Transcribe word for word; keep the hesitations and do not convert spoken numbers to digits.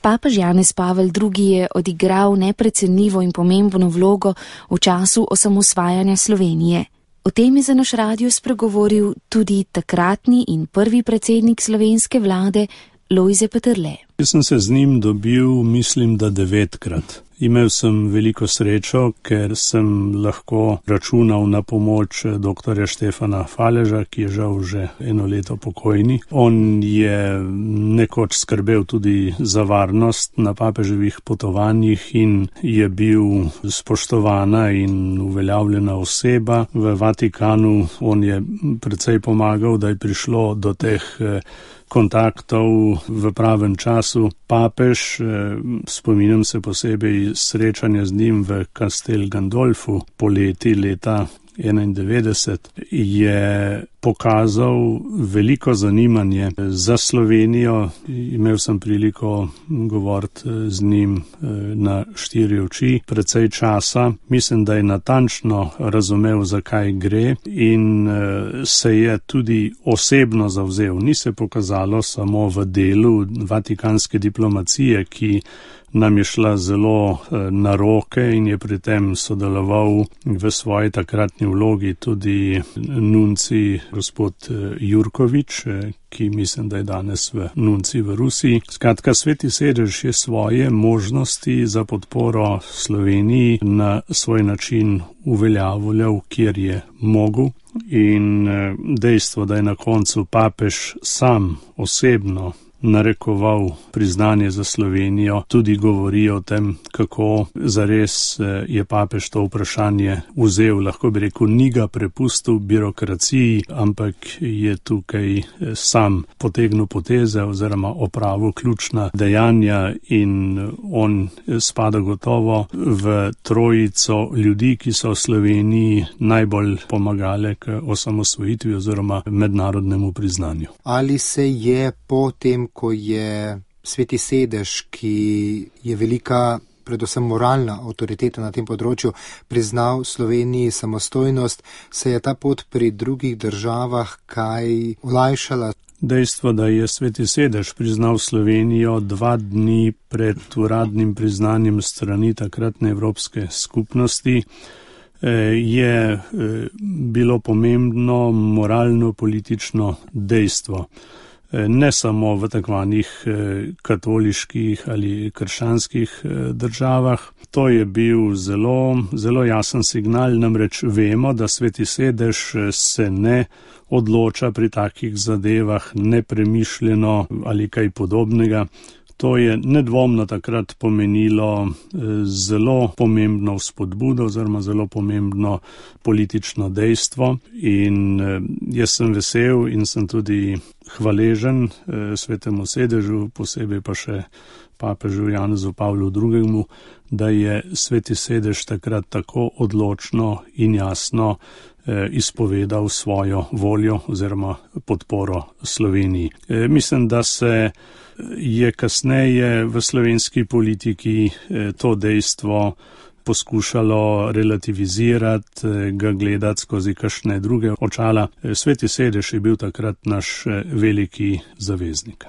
Papež Janez Pavel drugi. Je odigral neprecenljivo in pomembno vlogo v času osamosvajanja Slovenije. O tem je za naš radio spregovoril tudi takratni in prvi predsednik slovenske vlade Lojze Peterle. Jaz sem se z njim dobil, mislim, da devetkrat. Imel sem veliko srečo, ker sem lahko računal na pomoč doktorja Štefana Faleža, ki je žal že eno leto pokojni. On je nekoč skrbel tudi za varnost na papeževih potovanjih in je bil spoštovana in uveljavljena oseba v Vatikanu. On je precej pomagal, da je prišlo do teh kontaktov v pravem času. Papež, spominjam se posebej srečanja z njim v Castel Gandolfu poleti leta enaindevetdeset, je pokazal veliko zanimanje za Slovenijo. Imel sem priliko govoriti z njim na štiri oči precej časa. Mislim, da je natančno razumel, zakaj gre in se je tudi osebno zavzel. Ni se pokazalo samo v delu vatikanske diplomacije, ki nam je šla zelo na roke in je pri tem sodeloval v svoji takratni vlogi tudi nunci gospod Jurkovič, ki mislim, da je danes v nunci v Rusiji. Skratka, Sveti sedež je svoje možnosti za podporo Sloveniji na svoj način uveljavljal, kjer je mogel. In dejstvo, da je na koncu papež sam osebno narekoval priznanje za Slovenijo, tudi govori o tem, kako zares je papež to vprašanje vzel, lahko bi rekel, ni ga prepustil birokraciji, ampak je tukaj sam potegnil poteze oziroma opravil ključna dejanja in on spada gotovo v trojico ljudi, ki so v Sloveniji najbolj pomagale k osamosvojitvi oziroma mednarodnemu priznanju. Ali se je potem, ko je Sveti sedež, ki je velika, predvsem moralna avtoriteta na tem področju, priznal Sloveniji samostojnost, se je ta pot pri drugih državah kaj olajšala? Dejstvo, da je Sveti sedež priznal Slovenijo dva dni pred uradnim priznanjem strani takratne Evropske skupnosti, je bilo pomembno moralno-politično dejstvo. Ne samo v takvanih katoliških ali krščanskih državah. To je bil zelo, zelo jasen signal, namreč vemo, da Sveti sedež se ne odloča pri takih zadevah nepremišljeno ali kaj podobnega. To je nedvomno takrat pomenilo zelo pomembno vzpodbudo oziroma zelo pomembno politično dejstvo in jaz sem vesel in sem tudi hvaležen Svetemu sedežu, posebej pa še papežu Janezu Pavlu drugemu, da je Sveti sedež takrat tako odločno in jasno izpovedal svojo voljo oziroma podporo Sloveniji. Mislim, da se je kasneje v slovenski politiki to dejstvo poskušalo relativizirati, ga gledati skozi kakšne druge očala. Sveti sedež je bil takrat naš veliki zaveznik.